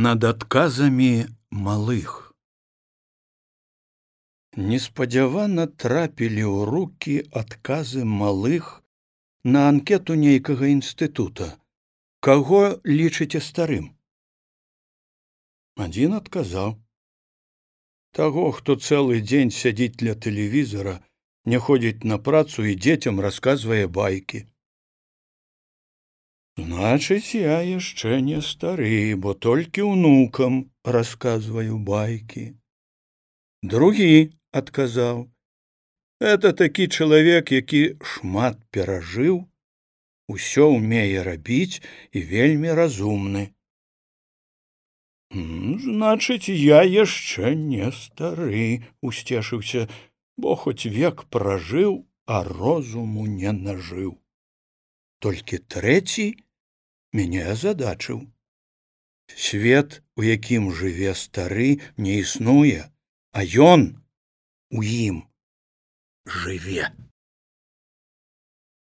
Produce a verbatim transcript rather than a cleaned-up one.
Над адказамі малых. Неспадзявана трапілі ў рукі адказы малых на анкету нейкага інстытута. Каго лічыце старым? Адзін адказаў: таго, хто цэлы дзень сядзіць ля тэлевізара, не ходзіць на працу і дзецям расказвае байкі. Значыць, я яшчэ не стары, бо толькі ўнукам расказваю байкі. Другі адказаў: это такі чалавек, які шмат перажыў, усё ўмее рабіць і вельмі разумны. Значыць, я яшчэ не стары, усцешыўся, бо хоць век пражыў, а розуму не нажыў. Толькі трэці мяне азадачыў. Свет, у якім жыве стары, не існуе, а ён у ім жыве.